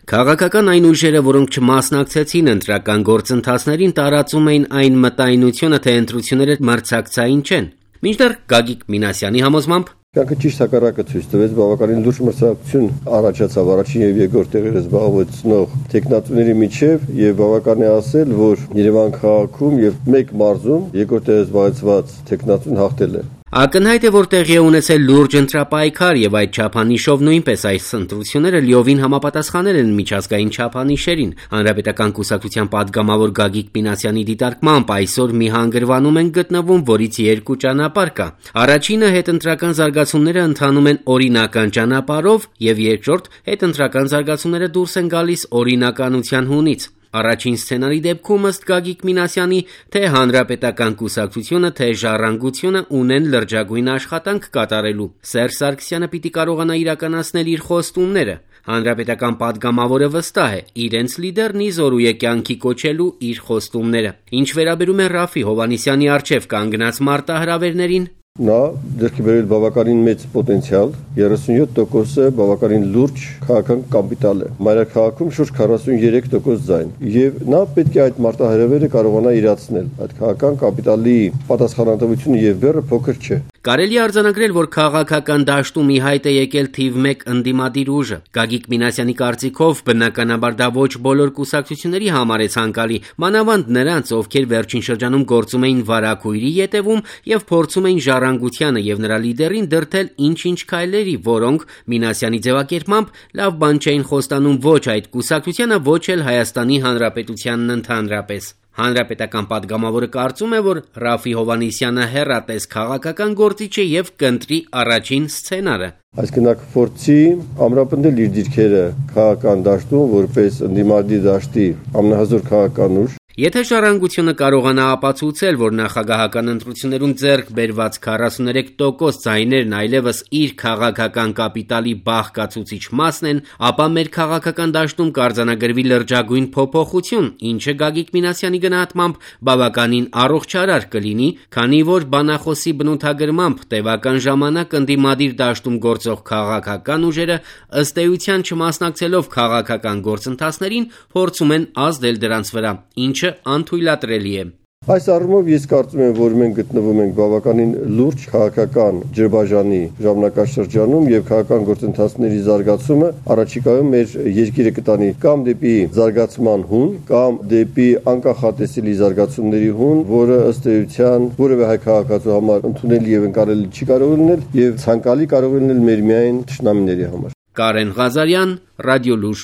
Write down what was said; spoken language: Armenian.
Քաղաքական այն ուժերը, որոնք չմասնակցեցին ընտրական գործընթացներին, տարածում էին այն մտայնությունը, թե ընտրությունները մրցակցային չեն։ Մինչդեռ Գագիկ Մինասյանի համոզմամբ Կյանքը ճիշտ հակառակը ցույց տվեց, բավականին լուրջ մրցակցություն առաջացավ առաջին եւ երկրորդ տեղերը զբաղեցնող տեխնատուների միջև եւ բավական է ասել, որ Երևան քաղաքում եւ մեկ մարզում երկրորդ տեղը զբաղեցված տեխնատուն հաղթել է։ Ակնհայտ է, որ տեղի է ունեցել լուրջ ընտրապայքար եւ այդ չափանիշով նույնպես այս ընտրությունները լիովին համապատասխանել են միջազգային չափանիշերին։ Հանրապետական կուսակցության падգամավոր Գագիկ Մինասյանի դիտարկմամբ այսօր մի հանգրվանում են գտնվում, որից երկու ճանապարհ կա։ Առաջինը հետընտրական զարգացումները ընթանում են օրինական ճանապարհով եւ երկրորդ հետընտրական զարգացումները դուրս են գալիս օրինականության հունից։ Առաջին սցենարի դեպքում ըստ Գագիկ Մինասյանի թե հանրապետական կուսակցությունը, թե ժառանգությունը ունեն լրջագույն աշխատանք կատարելու։ Սերժ Սարգսյանը պիտի կարողանա իրականացնել իր խոստումները։ Հանրապետական падգամավորը վստահ է, իրենց լիդերն ի զորու է կյանքի կոչելու իր խոստումները։ Ինչ վերաբերում է Ռաֆի Հովհաննիսյանի առջև կանգնած մարտահրավերներին, Նա ձեռքի բերել բավականին մեծ պոտենցիալ, 37% բավականին լուրջ քաղաքական կապիտալ է։ Մայրաքաղաքում շուրջ 43% ձայն։ Եվ նա պետք է այդ մարտահրավերը կարողանա իրացնել։ Այդ քաղաքական կապիտալի պատասխանատվությունը եւ բեռը փոքր չէ։ Կարելի է արձանագրել, որ քաղաքական դաշտում ի հայտ է եկել թիվ 1 ընդդիմադիր ուժը։ Գագիկ Մինասյանի կարծիքով բնականաբար դա ոչ բոլոր կուսակցությունների համար է ցանկալի, մանավանդ նրանց, ովքեր վերջին շրջանում գործում էին վարակույրի ետևում եւ փորձում էին ժառանգությանը եւ նրա լիդերին դրդել ինչ-ինչ քայլերի, որոնք Մինասյանի ձևակերպմամբ լավ բան չէին խոստանում ոչ այդ կուսակցությանը, ոչ էլ Հայաստանի Հանրապետությանն ընդհանրապես։ Հանրապետական падգամավորը կարծում է, որ Ռաֆի Հովհաննիսյանը հեռատես քաղաքական գործիչ է եւ կընտրի առաջին սցենարը։ Այսինքն նա կփորձի ամրապնդել իր դիրքերը քաղաքական դաշտում որպես ընդդիմադիր դաշտի ամենահզոր քաղաքական ուժ։ Եթե ժառանգությունը կարողանա ապացուցել, որ նախագահական ընտրություններում ձեռք բերված 43% ձայներն այլևս իր քաղաքական կապիտալի բաղկացուցիչ մասն են, ապա մեր քաղաքական դաշտում կարձանագրվի լրջագույն փոփոխություն, ինչը Գագիկ Մինասյանի գնահատմամբ բավականին առողջարար կլինի, քանի որ բանախոսի բնութագրմամբ տևական ժամանակ ընդդիմադիր դաշտում գործող քաղաքական ուժերը ըստ էության չմասնակցելով քաղաքական գործընթացներին փորձում են ազդել դրանց վրա, ինչը անթույլատրելի է։ Այս առումով ես կարծում եմ, որ մենք գտնվում ենք բավականին լուրջ քաղաքական ջրբաժանի ժամանակաշրջանում եւ քաղաքական գործընթացների զարգացումը առաջիկայում մեր երկիրը կտանի կամ դեպի զարգացման հուն, կամ դեպի անկախատեսելի զարգացումների հուն, որը ըստ էության որևէ հայ քաղաքացու համար ընդունելի եւ ընկալելի չի կարող լինել եւ ցանկալի կարող լինել մեր միայն թշնամիների համար։ Կարեն Ղազարյան, Ռադիոլուր։